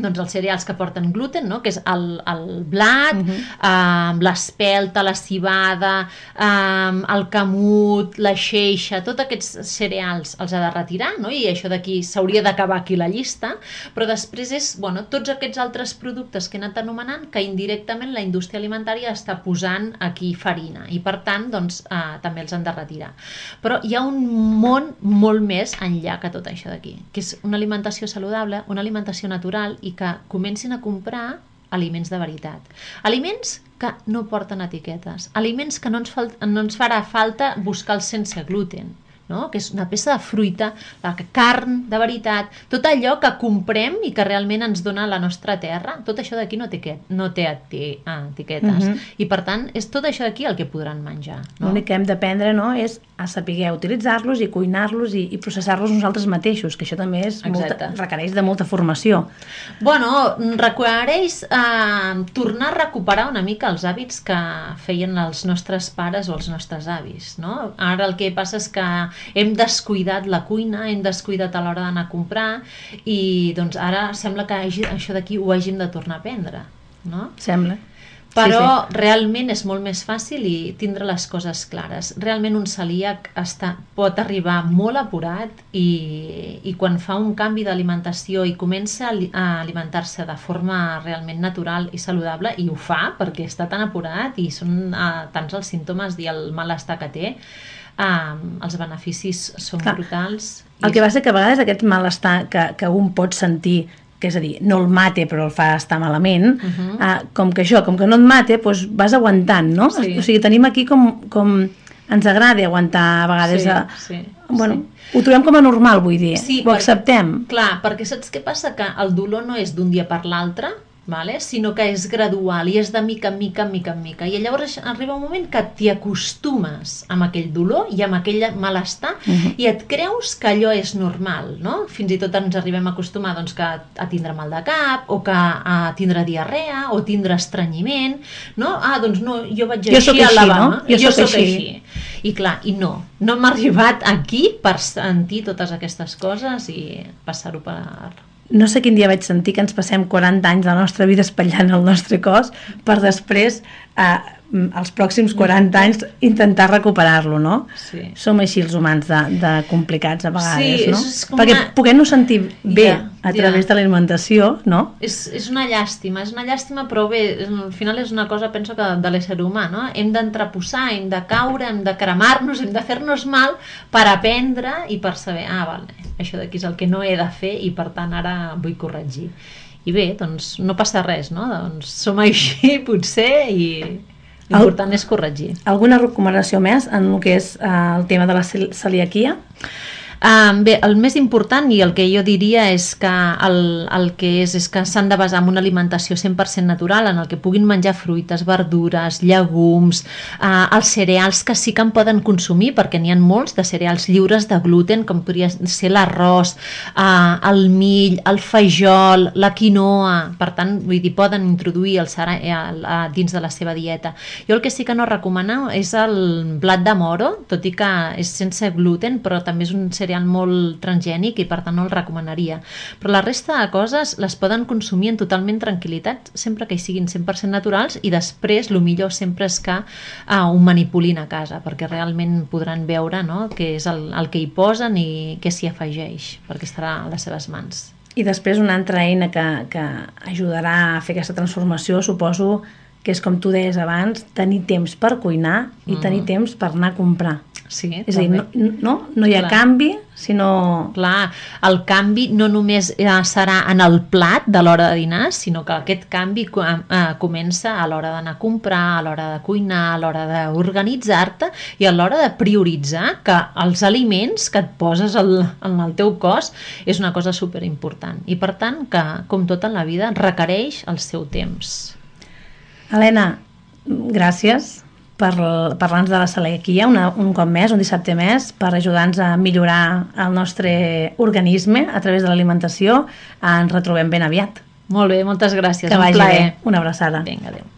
els cereals que porten gluten, que és el blat, l'espelta, la civada, el camut, la xeixa, tots aquests cereals els ha de retirar, i això d'aquí s'hauria d'acabar aquí la llista, però després és tots aquests altres productes que he anat anomenant que indirectament la indústria alimentària està posant aquí farina i per tant també els han de retirar. Però hi ha un món molt més enllà que tot això d'aquí, que és una alimentació saludable, una alimentació natural i que comencin a comprar aliments de veritat. Aliments que no porten etiquetes. Aliments que no ens farà falta buscar el sense gluten, que és una peça de fruita, la carn de veritat, tot allò que comprem i que realment ens dona la nostra terra, tot això d'aquí no té etiquetes. I per tant, és tot això d'aquí el que podran menjar. L'únic que hem d'aprendre és a saber utilitzar-los i cuinar-los i processar-los nosaltres mateixos, que això també requereix de molta formació. Requereix tornar a recuperar una mica els hàbits que feien els nostres pares o els nostres avis. Ara el que passa és que hem descuidat la cuina, hem descuidat a l'hora d'anar a comprar i ara sembla que això d'aquí ho hàgim de tornar a aprendre. Sembla. Però realment és molt més fàcil i tindre les coses clares. Realment un celíac pot arribar molt apurat i quan fa un canvi d'alimentació i comença a alimentar-se de forma realment natural i saludable, i ho fa perquè està tan apurat i són tants els símptomes i el malestar que té, els beneficis són brutals. El que passa que a vegades aquest malestar que un pot sentir, que és a dir, no el mate però el fa estar malament, com que no et mate, doncs vas aguantant, no? O sigui, tenim aquí com ens agrada aguantar a vegades. Ho trobem com a normal, vull dir, ho acceptem. Clar, perquè saps què passa? Que el dolor no és d'un dia per l'altre, sinó que és gradual i és de mica en mica, i llavors arriba un moment que t'hi acostumes amb aquell dolor i amb aquell malestar i et creus que allò és normal, fins i tot ens arribem a acostumar a tindre mal de cap o a tindre diarrea o tindre estrenyiment, jo vaig així a Alabama, jo soc així. I clar, no hem arribat aquí per sentir totes aquestes coses i passar-ho per... No sé quin dia vaig sentir que ens passem 40 anys de la nostra vida espatllant el nostre cos per després els pròxims 40 anys intentar recuperar-lo, no? Sí. Som així els humans de complicats a vegades, no? És com perquè poguem-nos sentir bé a través de l'alimentació, no? És una llàstima, però bé, al final és una cosa, penso, que de l'ésser humà, no? Hem d'entreposar, hem de caure, hem de cremar-nos, hem de fer-nos mal per aprendre i per saber, vale, això d'aquí és el que no he de fer i per tant ara vull corregir. I bé, doncs no passa res, no? Doncs som així, potser, i l'important és corregir. Alguna recomanació més en el que és el tema de la celiaquia? Bé, el més important i el que jo diria és que el que és que s'han de basar en una alimentació 100% natural en el que puguin menjar fruites, verdures, llegums, els cereals que sí que en poden consumir, perquè n'hi ha molts de cereals lliures de gluten, com podria ser l'arròs, el mill, el fajol, la quinoa. Per tant, vull dir, poden introduir el cereal dins de la seva dieta. Jo el que sí que no recomano és el blat de moro, tot i que és sense gluten, però també és un cereal molt transgènic i per tant no el recomanaria. Però la resta de coses les poden consumir en totalment tranquil·litat, sempre que hi siguin 100% naturals, i després el millor sempre és que ho manipulin a casa, perquè realment podran veure, no?, què és el que hi posen i què s'hi afegeix, perquè estarà a les seves mans. I després una altra eina que ajudarà a fer aquesta transformació, suposo que és, com tu deies abans, tenir temps per cuinar i tenir temps per anar a comprar. Sí, és a dir, no hi ha canvi, sinó... Clar, el canvi no només serà en el plat de l'hora de dinar, sinó que aquest canvi comença a l'hora d'anar a comprar, a l'hora de cuinar, a l'hora d'organitzar-te i a l'hora de prioritzar que els aliments que et poses en el teu cos és una cosa superimportant. I per tant, que, com tot en la vida, requereix el seu temps. Helena, gràcies per parlar-nos de la celiaquia un cop més, un dissabte més, per ajudar-nos a millorar el nostre organisme a través de l'alimentació. Ens retrobem ben aviat. Molt bé, moltes gràcies. Que vagi bé. Una abraçada. Vinga, adéu.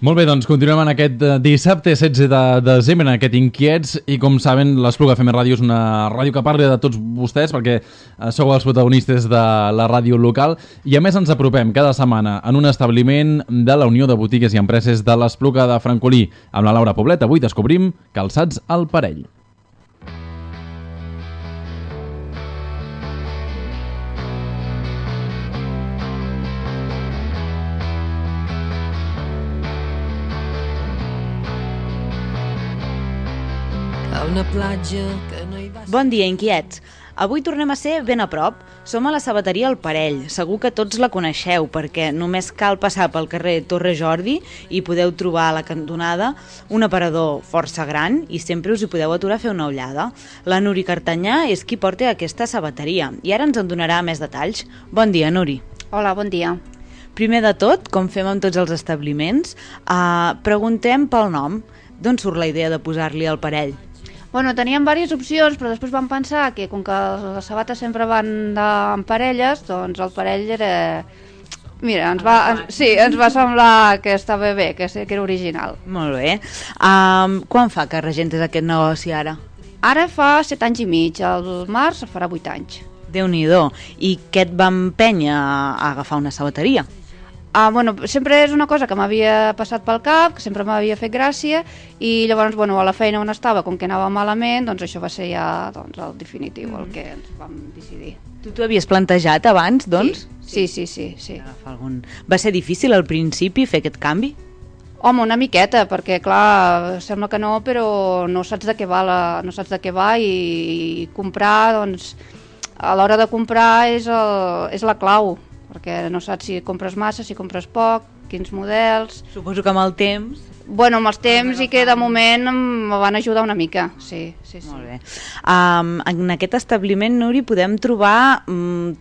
Molt bé, doncs continuem en aquest dissabte 16 de desembre, en aquest Inquiets, i com saben, l'Espluga FM Ràdio és una ràdio que parla de tots vostès, perquè sou els protagonistes de la ràdio local, i a més ens apropem cada setmana en un establiment de la Unió de Botigues i Empreses de l'Espluga de Francolí. Amb la Laura Poblet avui descobrim Calçats al Parell. Una platja que no hi va... Bon dia, inquiets. Avui tornem a ser ben a prop. Som a la sabateria El Parell. Segur que tots la coneixeu, perquè només cal passar pel carrer Torre Jordi i podeu trobar a la cantonada un aparador força gran i sempre us hi podeu aturar a fer una ullada. La Nuri Cartanyà és qui porta aquesta sabateria i ara ens en donarà més detalls. Bon dia, Nuri. Hola, bon dia. Primer de tot, com fem amb tots els establiments, preguntem pel nom. D'on surt la idea de posar-li El Parell? Bueno, teníem diverses opcions, però després vam pensar que com que les sabates sempre van en parelles, doncs el parell era... Mira, ens va semblar que estava bé, que era original. Molt bé. Quan fa que regentes aquest negoci ara? Ara fa 7 anys i mig, al març farà 8 anys. Déu-n'hi-do. I què et va empènyer a agafar una sabateria? Bueno, sempre és una cosa que m'havia passat pel cap, que sempre m'havia fet gràcia, i llavors, bueno, a la feina on estava, com que anava malament, doncs això va ser ja el definitiu, el que ens vam decidir. Tu t'ho havies plantejat abans, doncs? Sí. Va ser difícil al principi fer aquest canvi? Home, una miqueta, perquè clar, sembla que no, però no saps de què va, i comprar, doncs, a l'hora de comprar és la clau, perquè no saps si compres massa, si compres poc, quins models... Suposo que amb el temps... Bueno, amb els temps i que de moment em van ajudar una mica, sí. Molt bé. En aquest establiment, Nuri, podem trobar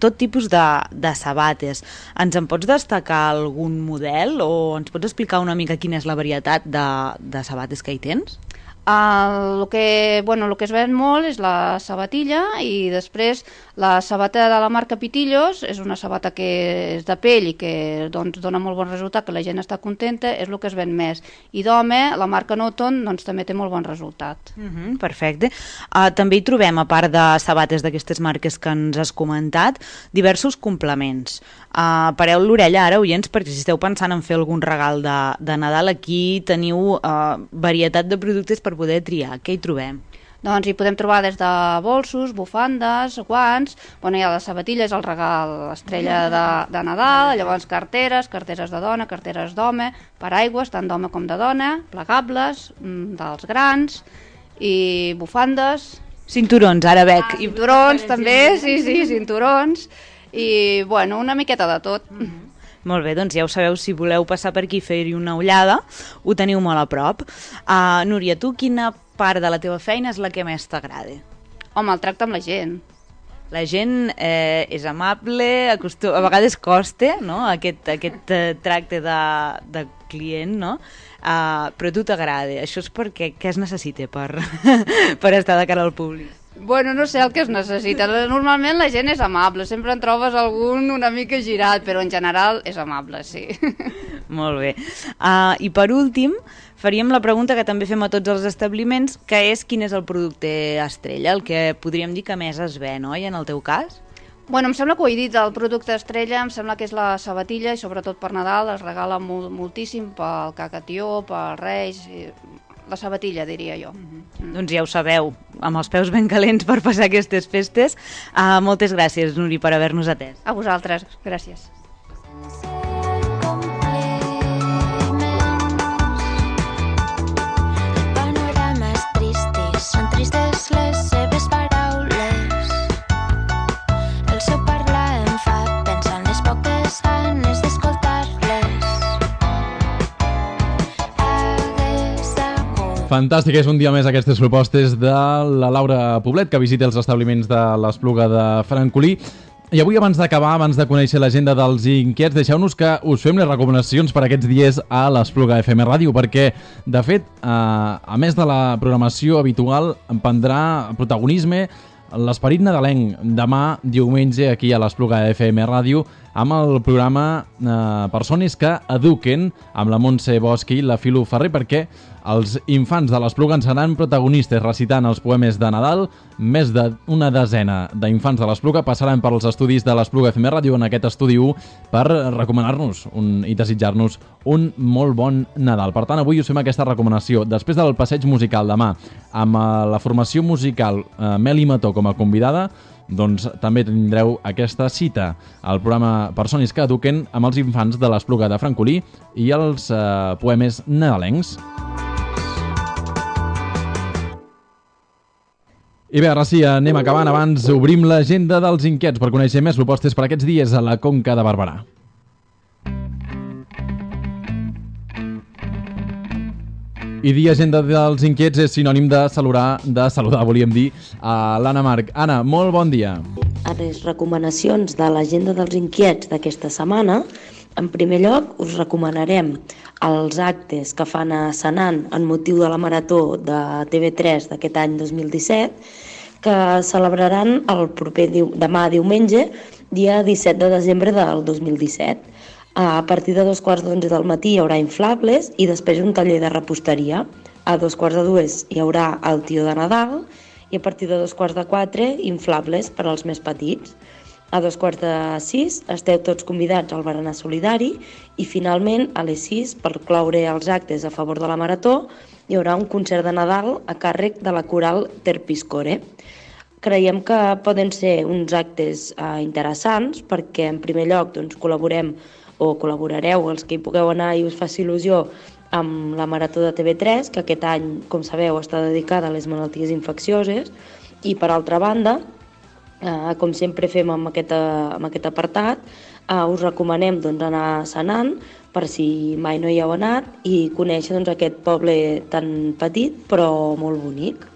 tot tipus de sabates. Ens en pots destacar algun model o ens pots explicar una mica quina és la varietat de sabates que hi tens? El que es ven molt és la sabatilla i després la sabata de la marca Pitillos és una sabata que és de pell i que doncs, dona molt bon resultat, que la gent està contenta, és el que es ven més. I d'home, la marca Noton doncs, també té molt bon resultat. Perfecte. També hi trobem, a part de sabates d'aquestes marques que ens has comentat, diversos complements. Pareu l'orella ara, oients, perquè si esteu pensant en fer algun regal de Nadal, aquí teniu varietat de productes per poder triar. Què hi trobem? Doncs hi podem trobar des de bolsos, bufandes, guants, hi ha les sabatilles, el regal estrella de Nadal, llavors carteres de dona, carteres d'home, paraigües, tant d'home com de dona, plegables, dels grans, i bufandes. Cinturons, ara veig. Cinturons també, sí, cinturons, i una miqueta de tot. Molt bé, doncs ja ho sabeu, si voleu passar per aquí i fer-hi una ullada, ho teniu molt a prop. Núria, tu quina part de la teva feina és la que més t'agrada? Home, el tracte amb la gent. La gent és amable, a vegades costa, no? aquest tracte de client, no? Però a tu t'agrada. Això és perquè què es necessita per estar de cara al públic? No sé el que es necessita. Normalment la gent és amable, sempre en trobes algun una mica girat, però en general és amable, sí. Molt bé. I per últim, faríem la pregunta que també fem a tots els establiments, que és quin és el producte estrella, el que podríem dir que més es ven, oi, en el teu cas? Em sembla que ho he dit, el producte estrella, em sembla que és la sabatilla i sobretot per Nadal es regala moltíssim pel cacatió, pel Reis, la sabatilla, diria jo. Doncs ja ho sabeu, amb els peus ben calents per passar aquestes festes. Moltes gràcies, Núria, per haver-nos atès. A vosaltres, gràcies. Panorames tristes, són tristes les seves paraules. El seu parlar em fa pensar en les poques ganes d'escoltar-les. Fantàstic, és un dia més aquestes propostes de la Laura Poblet, que visita els establiments de l'Espluga de Francolí. I avui, abans d'acabar, abans de conèixer l'agenda dels inquiets, deixeu-nos que us fem les recomanacions per aquests dies a l'Espluga FM Ràdio, perquè, de fet, a més de la programació habitual, prendrà protagonisme l'esperit nadalenc demà diumenge aquí a l'Espluga FM Ràdio amb el programa Persones que eduquen amb la Montse Bosch i la Filo Ferrer, perquè els infants de l'Espluga en seran protagonistes recitant els poemes de Nadal. Més d'una desena d'infants de l'Espluga passaran per als estudis de l'Espluga FM Ràdio en aquest estudi 1 per recomanar-nos i desitjar-nos un molt bon Nadal. Per tant, avui us fem aquesta recomanació. Després del passeig musical demà amb la formació musical Meli Mató com a convidada, doncs també tindreu aquesta cita al programa Persones que eduquen amb els infants de l'Espluga de Francolí i els poemes nadalencs. I bé, ara sí, anem acabant. Abans obrim l'agenda dels inquiets per conèixer més propostes per aquests dies a la Conca de Barberà. I dir agenda dels inquiets és sinònim de saludar, volíem dir, a l'Anna Marc. Anna, molt bon dia. A les recomanacions de l'agenda dels inquiets d'aquesta setmana, en primer lloc us recomanarem els actes que fan a Senan en motiu de la marató de TV3 d'aquest any 2017, que celebraran el proper demà diumenge, dia 17 de desembre del 2017. A partir de 2:15 del matí hi haurà inflables i després un taller de reposteria. A 2:45 hi haurà el tió de Nadal i a partir de 3:45 inflables per als més petits. A 5:45 esteu tots convidats al berenar solidari i finalment a les 6, per cloure els actes a favor de la marató, hi haurà un concert de Nadal a càrrec de la coral Terpiscore. Creiem que poden ser uns actes interessants perquè en primer lloc col·laborareu els que hi pugueu anar i us faci il·lusió amb la marató de TV3, que aquest any, com sabeu, està dedicada a les malalties infeccioses, i per altra banda, com sempre fem amb aquest apartat, us recomanem anar a Senan, per si mai no hi heu anat, i conèixer aquest poble tan petit però molt bonic.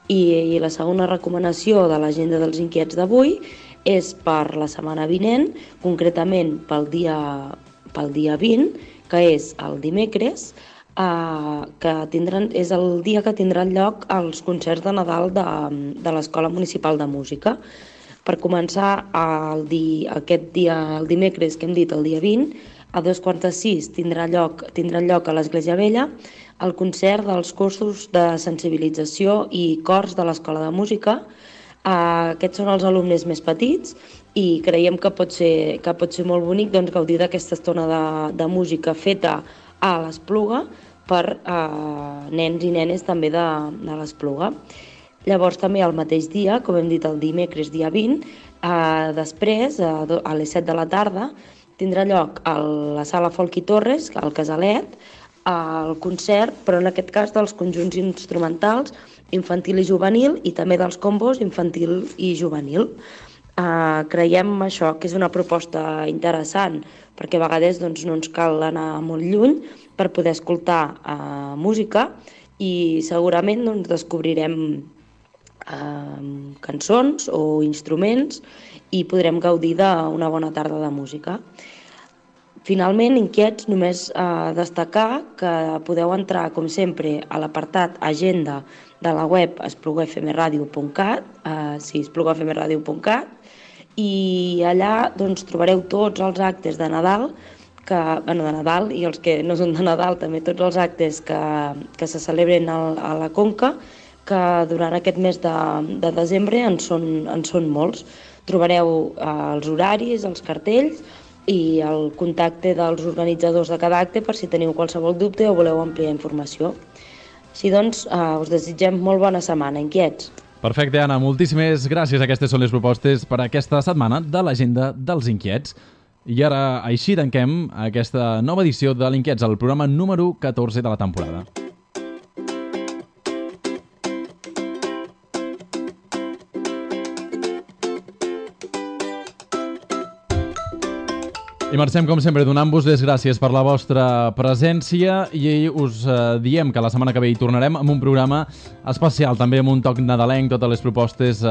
I la segona recomanació de l'agenda dels inquiets d'avui és per la setmana vinent, concretament pel dia 20, que és el dimecres. que és el dia que tindran lloc els concerts de Nadal de l'Escola Municipal de Música. Per començar, aquest dia, el dimecres que hem dit, el dia 20, a 5:45 tindran lloc a l'Església Vella el concert dels cursos de sensibilització i cors de l'Escola de Música. Aquests són els alumnes més petits i creiem que pot ser molt bonic gaudir d'aquesta estona de música feta a l'Espluga per nens i nenes també de l'Espluga. Llavors també el mateix dia, com hem dit el dimecres dia 20, després, a les 7 de la tarda, tindrà lloc a la sala Folch i Torres, al Casalet, el concert, però en aquest cas dels conjunts instrumentals infantil i juvenil i també dels combos infantil i juvenil. Creiem això que és una proposta interessant perquè a vegades no ens cal anar molt lluny per poder escoltar música i segurament descobrirem cançons o instruments i podrem gaudir d'una bona tarda de música. Finalment, inquiets, només destacar que podeu entrar, com sempre, a l'apartat Agenda de la web esplugafmradio.cat, esplugafmradio.cat, i allà trobareu tots els actes de Nadal, de Nadal i els que no són de Nadal, també tots els actes que se celebren a la Conca, que durant aquest mes de desembre en són molts. Trobareu els horaris, els cartells i el contacte dels organitzadors de cada acte per si teniu qualsevol dubte o voleu ampliar informació. Així doncs, us desitgem molt bona setmana, inquiets. Perfecte, Anna, moltíssimes gràcies. Aquestes són les propostes per aquesta setmana de l'Agenda dels Inquiets. I ara, així tanquem aquesta nova edició de l'Inquiets, el programa número 14 de la temporada. I marxem, com sempre, donant-vos les gràcies per la vostra presència i us diem que la setmana que ve hi tornarem amb un programa especial, també amb un toc nadalenc. Totes les propostes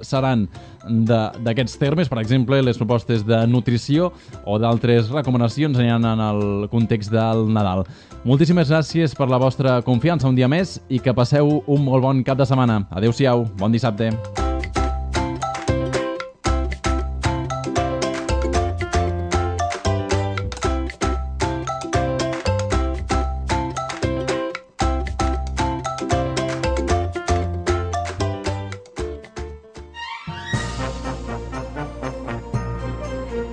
seran d'aquests termes, per exemple, les propostes de nutrició o d'altres recomanacions aniran en el context del Nadal. Moltíssimes gràcies per la vostra confiança un dia més i que passeu un molt bon cap de setmana. Adéu-siau, bon dissabte.